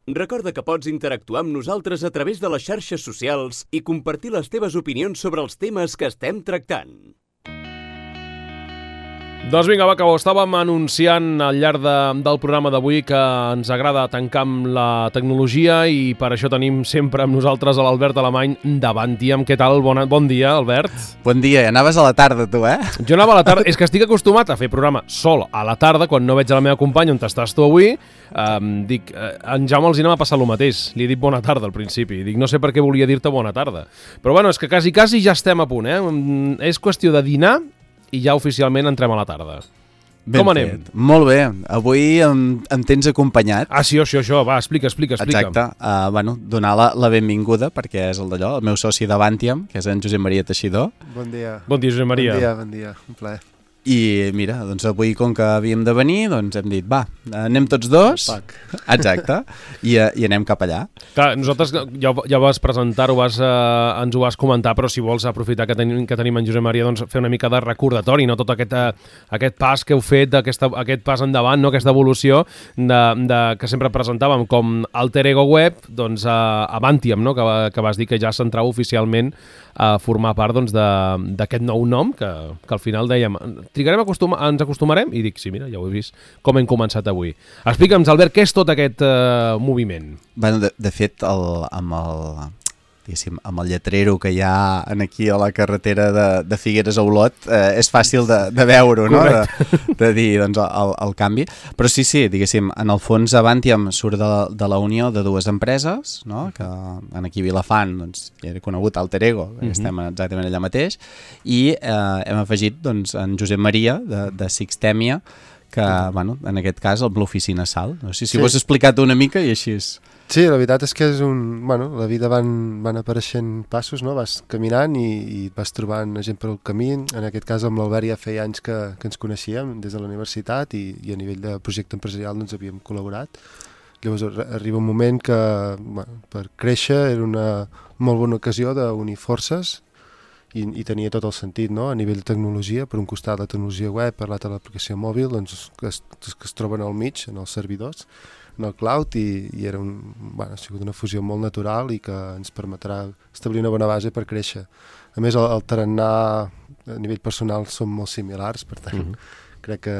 Recorda que pots interactuar amb nosaltres a través de les xarxes socials i compartir les teves opinions sobre els temes que estem tractant. Doncs vinga, va, que ho estàvem anunciant al llarg del programa d'avui, que ens agrada tancar amb la tecnologia i per això tenim sempre amb nosaltres a l'Albert Alemany d'Avantium. Què tal? Bon dia, Albert. Bon dia, anaves a la tarda tu, eh? Jo anava a la tarda, és que estic acostumat a fer programa sol a la tarda, quan no veig a la meva companya on estàs tu avui. Dic, en Jaume els m'ha passat el mateix, li he dit bona tarda al principi, dic, no sé per què volia dir-te bona tarda, però bueno, és que quasi ja estem a punt, és qüestió de dinar i ja oficialment entrem a la tarda. Ben com anem? Fet. Molt bé, avui em tens acompanyat. Ah, sí, això, va, explica. Exacte, donar la benvinguda, perquè és el d'allò, el meu soci d'Avantium, que és en Josep Maria Teixidor. Bon dia. Bon dia, Josep Maria. Bon dia, un plaer. I mira, doncs avui com que havíem de venir, doncs hem dit, va, anem tots dos. Exacte, i anem cap allà. Clar, nosaltres ja vas presentar-ho, ens ho vas comentar, però si vols aprofitar que tenim en Josep Maria, doncs fer una mica de recordatori, no tot aquest pas que heu fet, aquest pas endavant, no? Aquesta evolució que sempre presentàvem com Alter Ego Web, doncs Avantium, no? Que vas dir que ja s'entrava oficialment a formar part doncs, d'aquest nou nom, que al final dèiem, ens acostumarem? I dic, sí, mira, ja ho he vist, com hem començat avui. Explica'ns, Albert, què és tot aquest moviment? Bueno, de fet, amb el lletrero que hi ha aquí a la carretera de Figueres a Olot, és fàcil de veure-ho, no? De dir doncs, el canvi. Però sí, diguéssim, en el fons Avantium surt de la unió de dues empreses, no? Que aquí a Vilafant doncs, ja era conegut Alter Ego, estem exactament allà mateix, i hem afegit doncs, en Josep Maria de Sixtèmia, que bueno, en aquest cas l'oficina Sal. No sé si ho has explicat una mica i així és. Sí, la veritat és que és la vida van apareixent passos, no? Vas caminant i vas trobant gent per el camí. En aquest cas amb l'Albert ja feia anys que ens coneixíem des de la universitat i a nivell de projecte empresarial doncs havíem col·laborat. Llavors arriba un moment que per créixer era una molt bona ocasió d'unir forces i tenia tot el sentit, no? A nivell de tecnologia, per un costat la tecnologia web, per l'altre l'aplicació mòbil, doncs, que es troben al mig, en els servidors, en el cloud, i era ha sigut una fusió molt natural i que ens permetrà establir una bona base per créixer. A més, el tarannà a nivell personal són molt similars, per tant, crec que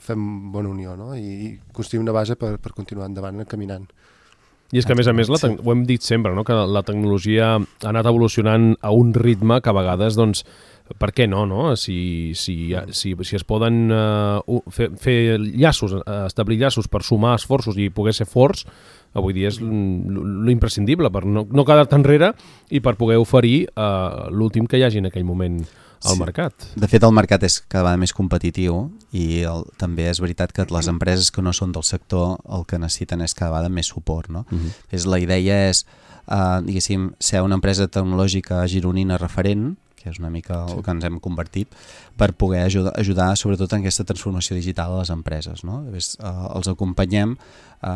fem bona unió, no? I construïm una base per continuar endavant, caminant. I és que, a més, ho hem dit sempre, no? Que la tecnologia ha anat evolucionant a un ritme que a vegades, doncs, per què no? Si es poden fer llaços, establir llaços per sumar esforços i poder ser forts, avui dia és l'imprescindible per no quedar-te enrere i per poder oferir l'últim que hi hagi en aquell moment al mercat. De fet, el mercat és cada vegada més competitiu i també és veritat que les empreses que no són del sector el que necessiten és cada vegada més suport, no? La idea és, diguéssim, ser una empresa tecnològica gironina referent, que és una mica el que ens hem convertit, per poder ajudar sobretot en aquesta transformació digital a les empreses, no? Els acompanyem,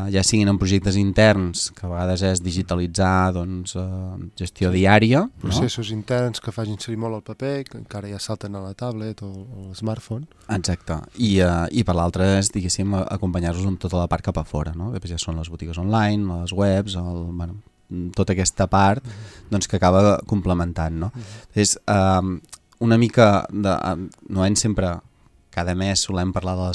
ja siguin en projectes interns, que a vegades és digitalitzar gestió diària. Processos interns que facin servir molt el paper, que encara ja salten a la tablet o al smartphone. Exacte. I per l'altre és, diguéssim, acompanyar-los amb tota la part cap a fora, no? Després ja són les botigues online, les webs, tota aquesta part que acaba complementant, no? És una mica sempre cada mes solem parlar de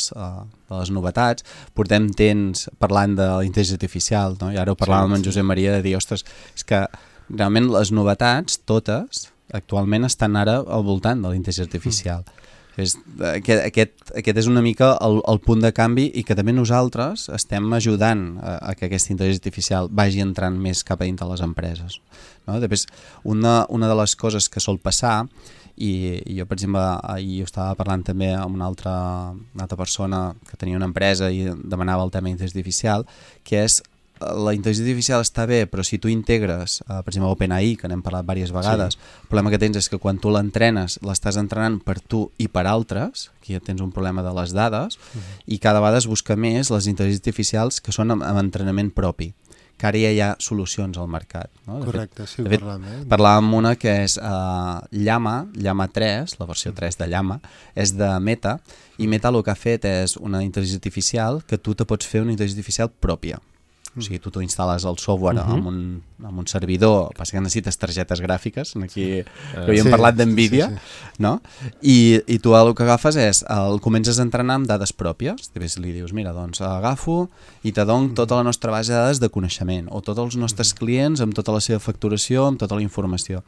les novetats, portem temps parlant de la intel·ligència artificial, no? I ara ho parlàvem amb en Josep Maria de dir, ostres, és que realment les novetats totes actualment estan ara al voltant de la intel·ligència artificial. Aquest és una mica el punt de canvi i que també nosaltres estem ajudant a que aquesta intel·ligència artificial vagi entrant més cap a dintre les empreses, no? Després, una de les coses que sol passar, i jo per exemple ahir ho estava parlant també amb una altra persona que tenia una empresa i demanava el tema d'intel·ligència artificial, que és la intel·ligència artificial està bé, però si tu integres, per exemple, OpenAI, que n'hem parlat diverses vegades, el problema que tens és que quan tu l'entrenes, l'estàs entrenant per tu i per altres, aquí ja tens un problema de les dades, i cada vegada es busca més les intel·ligències artificials que són amb entrenament propi, que ara ja hi ha solucions al mercat, no? Correcte, sí, ho parlàvem. Parlàvem amb una que és Llama 3, la versió 3 de Llama, és de Meta, i Meta el que ha fet és una intel·ligència artificial que tu te pots fer una intel·ligència artificial pròpia. O sigui, tu instal·les el software amb un servidor, passa que necessites targetes gràfiques, aquí havíem parlat d'NVIDIA, no? I tu el que agafes és, el comences a entrenar amb dades pròpies, li dius, mira, doncs agafo i te dono tota la nostra base de dades de coneixement, o tots els nostres clients amb tota la seva facturació, amb tota la informació.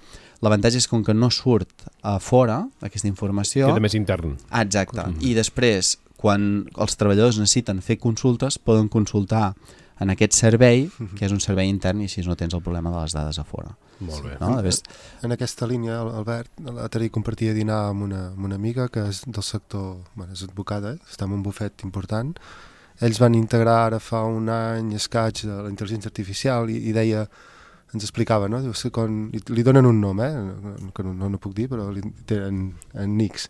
L'avantatge és com que no surt a fora aquesta informació... Queda més intern. Exacte. I després, quan els treballadors necessiten fer consultes, poden consultar en aquest servei, que és un servei intern, i així no tens el problema de les dades a fora. Molt bé. No? En aquesta línia, Albert, l'altre dia compartia dinar amb una amiga que és del sector, és advocada, està en un bufet important. Ells van integrar ara fa un any escaig de la intel·ligència artificial i deia, ens explicava, no? Diu, li donen un nom, que no puc dir, però li tenen en Nix.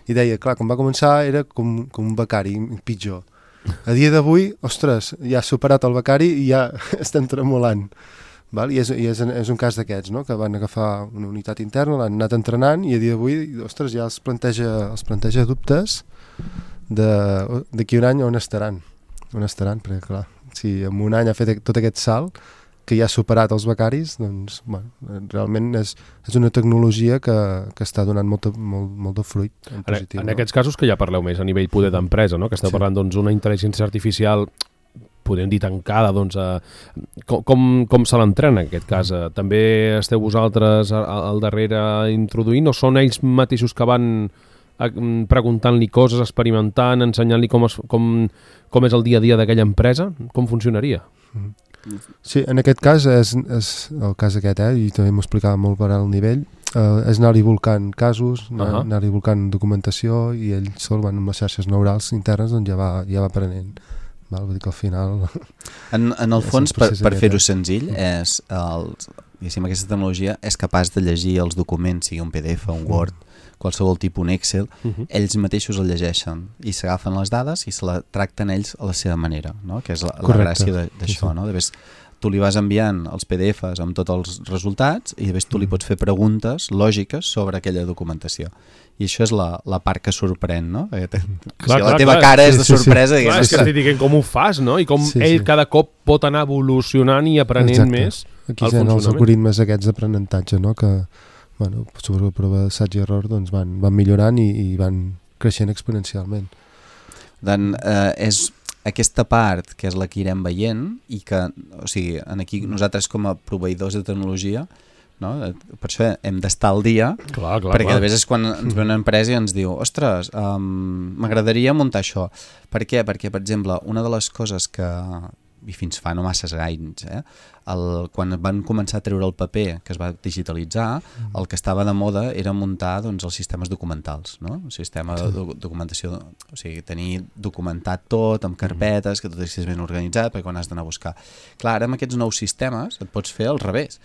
I deia, clar, quan va començar era com un becari, pitjor. A dia d'avui, ostres, ja ha superat el becari i ja estem tremolant. Val? I és un cas d'aquests, no? Que van agafar una unitat interna, l'han anat entrenant i a dia d'avui, ostres, ja els planteja dubtes d'aquí un any on estaran. Perquè, clar, si en un any ha fet tot aquest salt, que ja ha superat els becaris, doncs, realment és una tecnologia que està donant molt de fruit en positiu. En aquests casos que ja parleu més a nivell poder d'empresa, no? Que esteu parlant d'una intel·ligència artificial, podem dir tancada, doncs, com se l'entrena en aquest cas? També esteu vosaltres al darrere introduint o són ells mateixos que van preguntant-li coses, experimentant, ensenyant-li com és el dia a dia d'aquella empresa? Com funcionaria? Sí, en aquest cas és el cas aquest, i també m'ho explicava molt per al nivell, és anar-hi volcant casos, anar-hi volcant documentació i ell sol van amb les xarxes neurals internes doncs ja va aprenent. Vull dir que al final... En el fons, per fer-ho senzill, aquesta tecnologia és capaç de llegir els documents, sigui un PDF, un Word, qualsevol tipus, un Excel, ells mateixos el llegeixen i s'agafen les dades i se la tracten ells a la seva manera, no? Que és la gràcia d'això. No? Tu li vas enviant els PDFs amb tots els resultats i després tu li pots fer preguntes lògiques sobre aquella documentació. I això és la part que sorprèn, no? La teva cara és de sorpresa. Clar, és que estic dient com ho fas, no? I com ell cada cop pot anar evolucionant i aprenent més el funcionament. Aquí els algoritmes aquests d'aprenentatge, no? Que sobre la prova d'assaig i error doncs van millorant i van creixent exponencialment. Doncs és aquesta part que és la que irem veient i que, o sigui, aquí nosaltres com a proveïdors de tecnologia, no? Per això hem d'estar al dia, perquè a vegades és quan ens ve una empresa i ens diu, ostres, m'agradaria muntar això. Per què? Perquè, per exemple, una de les coses que, i fins fa no massa anys, quan van començar a treure el paper que es va digitalitzar, el que estava de moda era muntar doncs, els sistemes documentals, no? El sistema de documentació, o sigui, tenir documentat tot amb carpetes, que tot estigués ben organitzat perquè quan has d'anar a buscar. Clar, ara amb aquests nous sistemes et pots fer al revés.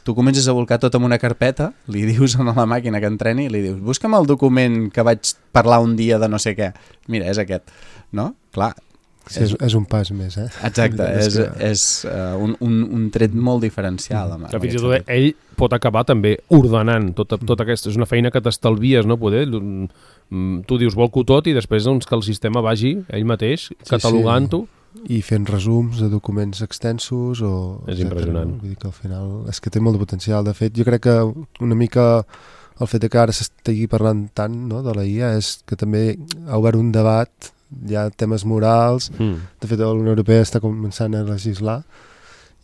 Tu comences a volcar tot en una carpeta, li dius a la màquina que entreni, li dius, busca'm el document que vaig parlar un dia de no sé què. Mira, és aquest, no? Clar, sí, és un pas més, Exacte, és un tret molt diferencial. Fins i tot ell pot acabar també ordenant tot aquesta. És una feina que t'estalvies, no? Poder, tu dius volco tot i després doncs, que el sistema vagi ell mateix catalogant-ho. I fent resums de documents extensos és impressionant. Vull dir que al final és que té molt de potencial. De fet, jo crec que una mica el fet que ara s'estigui parlant tant, no, de la IA és que també ha obert un debat, hi ha temes morals, de fet la Unió Europea està començant a legislar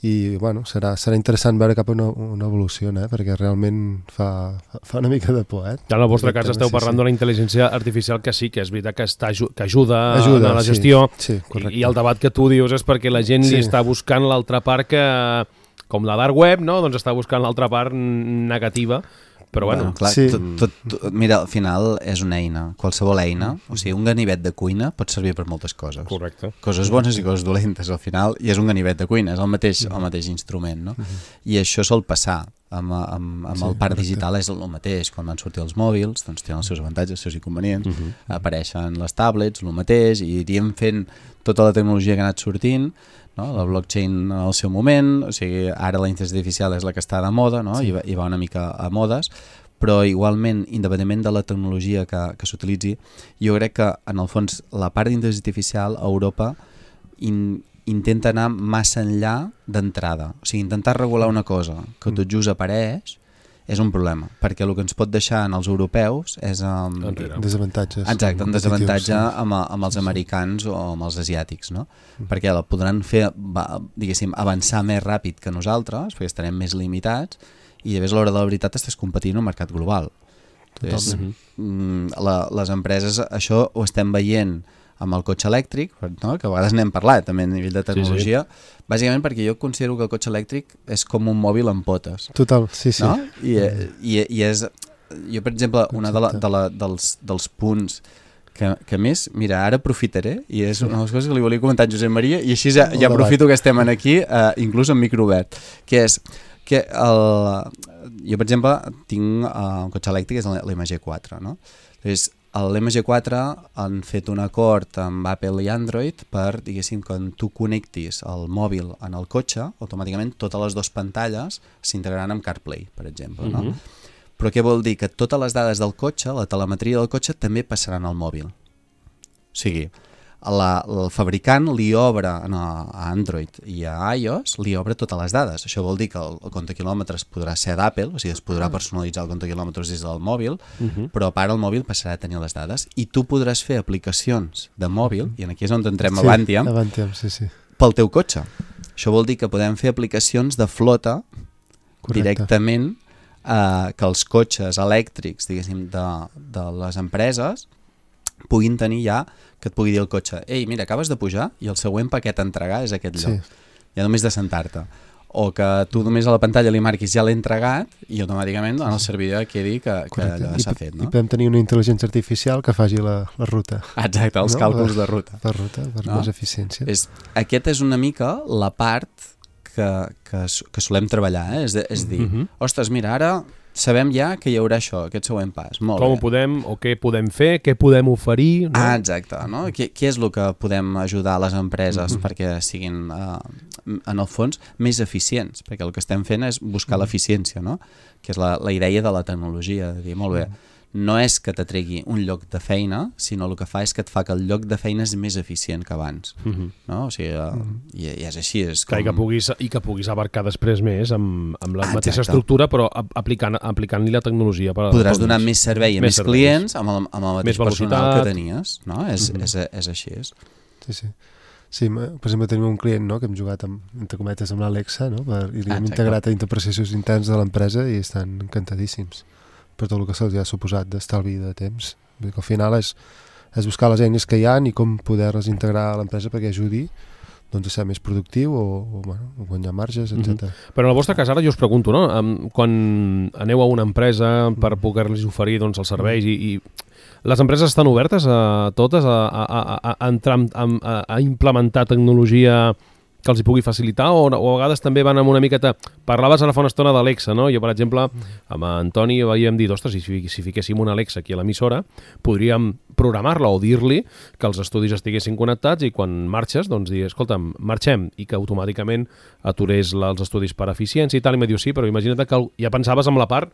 i bueno, serà interessant veure cap a una evolució, perquè realment fa una mica de por. En el vostre cas esteu parlant d'una intel·ligència artificial que sí, que és veritat que ajuda a la gestió, i el debat que tu dius és perquè la gent li està buscant l'altra part que, com la dark web, no? Doncs està buscant l'altra part negativa. Però bueno, clar, mira, al final és una eina, qualsevol eina, o sigui, un ganivet de cuina pot servir per moltes coses. Correcte. Coses bones i coses dolentes, al final, i és un ganivet de cuina, és el mateix instrument, no? I això sol passar. Amb el parc digital és el mateix. Quan van sortir els mòbils, doncs tenen els seus avantatges, els seus inconvenients, apareixen les tablets, el mateix, i iríem fent tota la tecnologia que ha anat sortint, no? La blockchain en el seu moment, o sigui, ara la intel·ligència artificial és la que està de moda, no? I va una mica a modes, però igualment, independentment de la tecnologia que s'utilitzi, jo crec que en el fons la part d'intel·ligència artificial a Europa intenta anar massa enllà d'entrada. O sigui, intentar regular una cosa que tot just apareix és un problema, perquè el que ens pot deixar en els europeus és... desavantatges. Exacte, un desavantatge amb els americans o amb els asiàtics, no? Perquè la podran fer, diguéssim, avançar més ràpid que nosaltres, perquè estarem més limitats, i llavors a l'hora de la veritat estàs competint en un mercat global. Les empreses, això ho estem veient amb el cotxe elèctric, no? Que a vegades n'hem parlat també a nivell de tecnologia, bàsicament perquè jo considero que el cotxe elèctric és com un mòbil amb potes. Total, sí. No? I és... Jo, per exemple, una dels punts que més... Mira, ara aprofitaré, i és una de les coses que li volia comentar a Josep Maria, i així ja aprofito que estem aquí, inclús en microobert, que és que jo, per exemple, tinc un cotxe elèctric, és l'MG4, no? Llavors, l'MG4 han fet un acord amb Apple i Android per, diguéssim, quan tu connectis el mòbil en el cotxe, automàticament totes les dues pantalles s'integraran amb CarPlay, per exemple, no? Però què vol dir? Que totes les dades del cotxe, la telemetria del cotxe, també passaran al mòbil. O sigui, el fabricant li obre a Android i a iOS, li obre totes les dades. Això vol dir que el compte quilòmetres podrà ser d'Apple, o sigui, es podrà personalitzar el compte quilòmetres des del mòbil, però a part el mòbil passarà a tenir les dades i tu podràs fer aplicacions de mòbil, i aquí és on entrem a Avantium, pel teu cotxe. Això vol dir que podem fer aplicacions de flota directament, que els cotxes elèctrics, diguéssim, de les empreses puguin tenir ja, que et pugui dir el cotxe, ei, mira, acabes de pujar i el següent paquet a entregar és aquest lloc. Ja només de sentar-te. O que tu només a la pantalla li marquis ja l'he entregat i automàticament en el servidor quedi que allò s'ha fet. No? I podem tenir una intel·ligència artificial que faci la ruta. Exacte, els càlculs de ruta. Per més eficiència. Aquest és una mica la part que solem treballar, és dir, ostres, mira, ara sabem ja que hi haurà això, aquest següent pas. Molt Com ho podem, o què podem fer, què podem oferir... No? Exacte, no? Què és el que podem ajudar a les empreses perquè siguin, en el fons, més eficients? Perquè el que estem fent és buscar l'eficiència, no? Que és la idea de la tecnologia, de dir, molt bé, no és que t'atregui un lloc de feina, sinó el que fa és que et fa que el lloc de feina és més eficient que abans. No? O sigui, i és així. És com... I que puguis abarcar després més amb la mateixa estructura, però aplicant-li la tecnologia. Podràs donar més servei a més clients amb el mateix personal que tenies. No? És així. Sí, per exemple, tenim un client, no?, que hem jugat entre cometes amb l'Alexa, no?, i li hem integrat a interprocessos interns de l'empresa i estan encantadíssims per tot el que se'ls ha suposat d'estalvi de temps. Vull dir que al final és buscar les eines que hi ha i com poder-les integrar a l'empresa perquè ajudi a ser més productiu o guanyar marges, etc. Però en el vostre cas, ara jo us pregunto, no? Quan aneu a una empresa per poder-los oferir els serveis i les empreses estan obertes a totes a implementar tecnologia que els hi pugui facilitar o a vegades també van amb una miqueta... Parlaves ara fa una estona d'Alexa, no? Jo, per exemple, amb Antoni vam dir, ostres, si fiquéssim una Alexa aquí a l'emissora, podríem programar-la o dir-li que els estudis estiguessin connectats i quan marxes, doncs dir, escolta'm, marxem, i que automàticament aturés els estudis per eficiència i tal, i me diu, sí, però imagina't que ja pensaves amb la part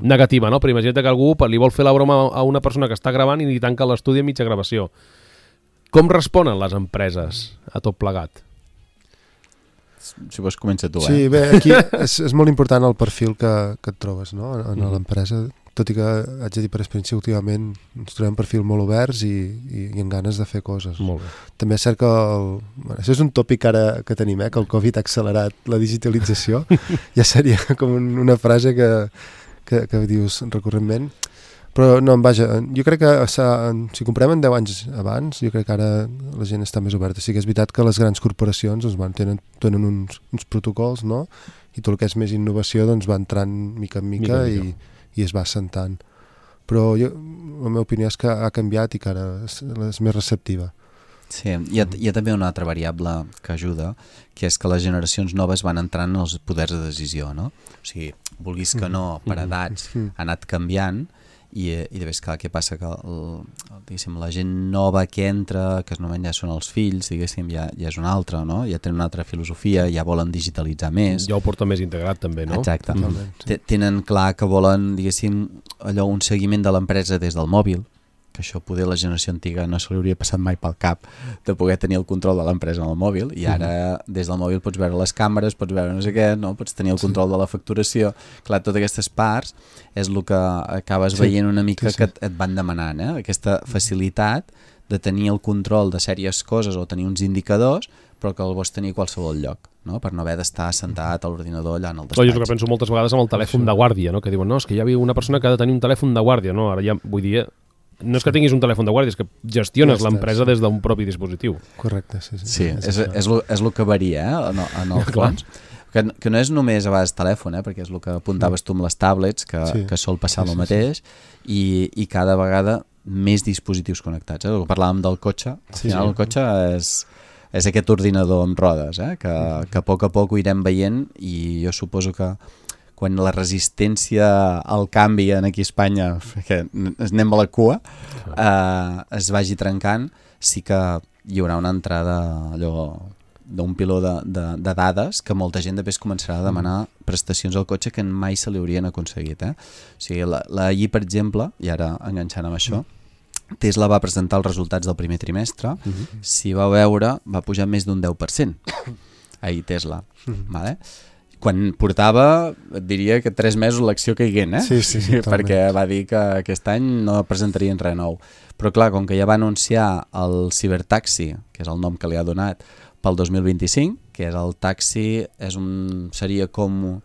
negativa, no? Però imagina't que algú li vol fer la broma a una persona que està gravant i li tanca l'estudi a mitja gravació. Com responen les empreses a tot plegat? Si vols comença tu, Sí, bé, aquí és molt important el perfil que et trobes, no?, en l'empresa, tot i que haig de dir per experiència últimament ens trobem perfil molt oberts i amb ganes de fer coses. Molt bé. També és cert que això és un tòpic ara que tenim, que el Covid ha accelerat la digitalització. Ja seria com una frase que dius recurrentment. Però no, vaja, jo crec que si comparem en 10 anys abans, jo crec que ara la gent està més oberta. Sí que és veritat que les grans corporacions tenen uns protocols, no?, i tot el que és més innovació va entrant mica en mica i es va assentant. Però la meva opinió és que ha canviat i que ara és més receptiva. Sí, hi ha també una altra variable que ajuda, que és que les generacions noves van entrant en els poders de decisió, no? O sigui, vulguis que no, per edats ha anat canviant, i de vegades, clar, què passa? Que la gent nova que entra, que normalment ja són els fills, diguéssim, ja és una altra, no? Ja tenen una altra filosofia, ja volen digitalitzar més. Ja ho porta més integrat també, no? Exacte. Tenen clar que volen, diguéssim, un seguiment de l'empresa des del mòbil, que que això poder la generació antiga no se li hauria passat mai pel cap de poder tenir el control de l'empresa en el mòbil, i ara des del mòbil pots veure les càmeres, pots veure no sé què, no? Pots tenir el control de la facturació. Clar, totes aquestes parts és el que acabes veient una mica que et van demanant, aquesta facilitat de tenir el control de sèries coses o tenir uns indicadors, però que el vols tenir a qualsevol lloc, no? Per no haver d'estar sentat a l'ordinador allà en el despatx. Jo és el que penso moltes vegades amb el telèfon de guàrdia, no? Que diuen, no, és que hi havia una persona que ha de tenir un telèfon de guàrdia, no? Ara ja, vull dir, no és que tinguis un telèfon de guàrdia, és que gestiones l'empresa des d'un propi dispositiu. Correcte, sí. Sí, és el que varia, en el fons. Que no és només a vegades telèfon, perquè és el que apuntaves tu amb les tablets, que sol passar el mateix, i cada vegada més dispositius connectats. El que parlàvem del cotxe, al final el cotxe és aquest ordinador amb rodes, que a poc ho irem veient, i jo suposo que quan la resistència al canvi aquí a Espanya, que anem a la cua, es vagi trencant, sí que hi haurà una entrada allò d'un piló de dades que molta gent després començarà a demanar prestacions al cotxe que mai se li haurien aconseguit. O sigui, ahir, per exemple, i ara enganxant amb això, Tesla va presentar els resultats del primer trimestre, si va veure, va pujar més d'un 10%. Ahir Tesla. Vale? Quan portava, et diria que 3 mesos l'acció caiguent, perquè va dir que aquest any no presentarien res nou. Però clar, com que ja va anunciar el Cybertaxi, que és el nom que li ha donat, pel 2025, que és el taxi, seria com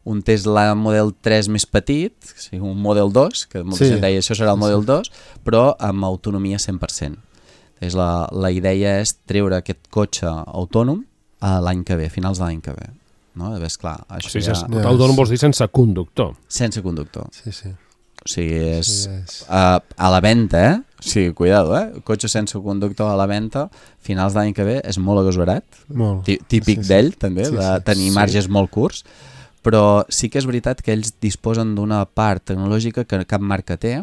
un Tesla Model 3 més petit, o sigui, un Model 2, que molta gent deia això serà el Model 2, però amb autonomia 100%. La idea és treure aquest cotxe autònom l'any que ve, a finals de l'any que ve. No? Ves, clar, això autònom vols dir sense conductor. Sense conductor. Sí. O sigui, és a la venda, O sigui, cuidado, cotxe sense conductor a la venda, finals d'any que ve, és molt agosarat, típic d'ell també, de tenir marges molt curts, però sí que és veritat que ells disposen d'una part tecnològica que cap marca té,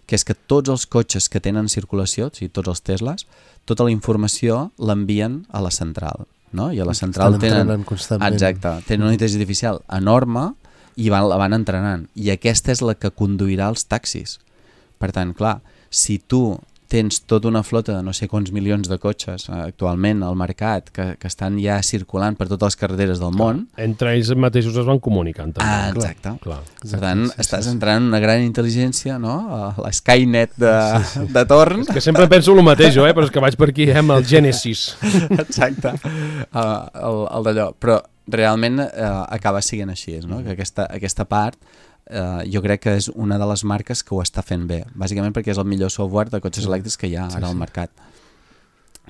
que és que tots els cotxes que tenen circulació, o sigui, tots els Teslas, tota la informació l'envien a la central, no? I a la central tenen una intel·ligència artificial enorme i la van entrenant, i aquesta és la que conduirà els taxis. Per tant, clar, si tu tens tota una flota de no sé quants milions de cotxes actualment al mercat que estan ja circulant per totes les carreteres del món... Entre ells mateixos es van comunicant. Exacte. Per tant, estàs entrant en una gran intel·ligència, no? La Skynet de torn. És que sempre penso el mateix, però és que vaig per aquí amb el Genesis. Exacte. El d'allò. Però realment acaba sent així, no? Que aquesta part jo crec que és una de les marques que ho està fent bé, bàsicament perquè és el millor software de cotxes elèctrics que hi ha ara al mercat.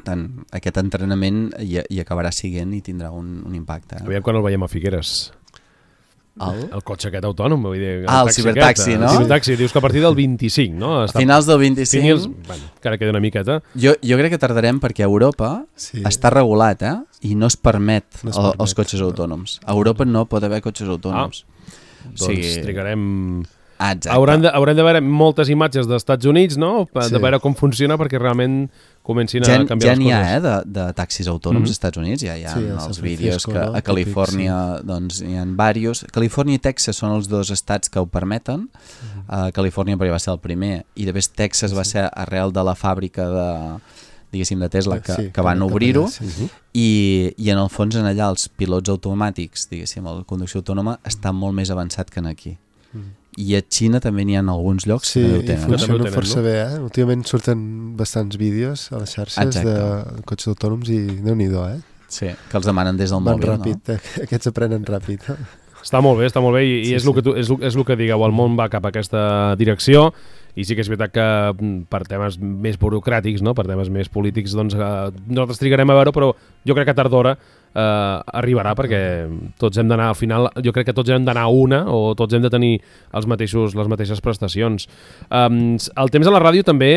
Tant, aquest entrenament hi acabarà sent i tindrà un impacte. Aviam quan el veiem a Figueres. El cotxe aquest autònom, vull dir... El cibertaxi, no? El cibertaxi, dius que a partir del 25, no? A finals del 25... Bueno, encara queda una miqueta. Jo crec que tardarem perquè a Europa està regulat, i no es permet els cotxes autònoms. A Europa no pot haver cotxes autònoms. Doncs trigarem... Haurem de veure moltes imatges dels Estats Units, no? De veure com funciona perquè realment comencin a canviar les coses. Ja n'hi ha, de taxis autònoms als Estats Units, ja hi ha els vídeos que a Califòrnia hi ha diversos. Califòrnia i Texas són els dos estats que ho permeten. Califòrnia perquè va ser el primer, i després Texas va ser arrel de la fàbrica de Tesla que van obrir-ho, i en el fons en allà els pilots automàtics, diguéssim, la conducció autònoma està molt més avançat que aquí. I a Xina també n'hi ha alguns llocs que ho tenen. I funciona força bé, Últimament surten bastants vídeos a les xarxes de cotxes autònoms i Déu-n'hi-do, Sí, que els demanen des del mòbil. Van ràpid, aquests aprenen ràpid. Està molt bé, i és el que digueu, el món va cap a aquesta direcció, i sí que és veritat que per temes més burocràtics, no? Per temes més polítics, doncs nosaltres trigarem a veure, però jo crec que tard d'hora arribarà, perquè tots hem d'anar al final, jo crec que tots hem d'anar a una, o tots hem de tenir les mateixes prestacions. El temps a la ràdio també,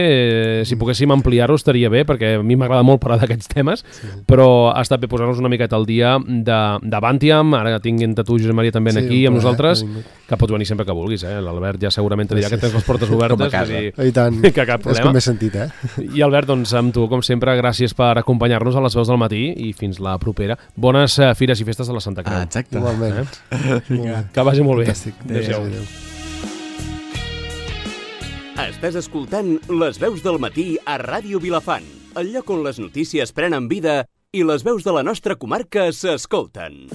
si poguéssim ampliar-ho estaria bé, perquè a mi m'agrada molt parlar d'aquests temes, però ha estat bé posar-nos una miqueta al dia d'Avantiam, ara tinguent tu, Josep Maria, també aquí amb nosaltres, que pots venir sempre que vulguis, l'Albert ja segurament te dirà que tens les portes obertes, i tant, que cap problema. És com m'he sentit, I Albert, doncs amb tu, com sempre, gràcies per acompanyar-nos a les veus del matí, i fins la propera. Bones fires i festes de la Santa Creu. Exacte. Igualment. Que vagi molt bé. Fantàstic. Adéu. Estàs escoltant Les veus del matí a Ràdio Vilafant, el lloc on les notícies prenen vida i les veus de la nostra comarca s'escolten.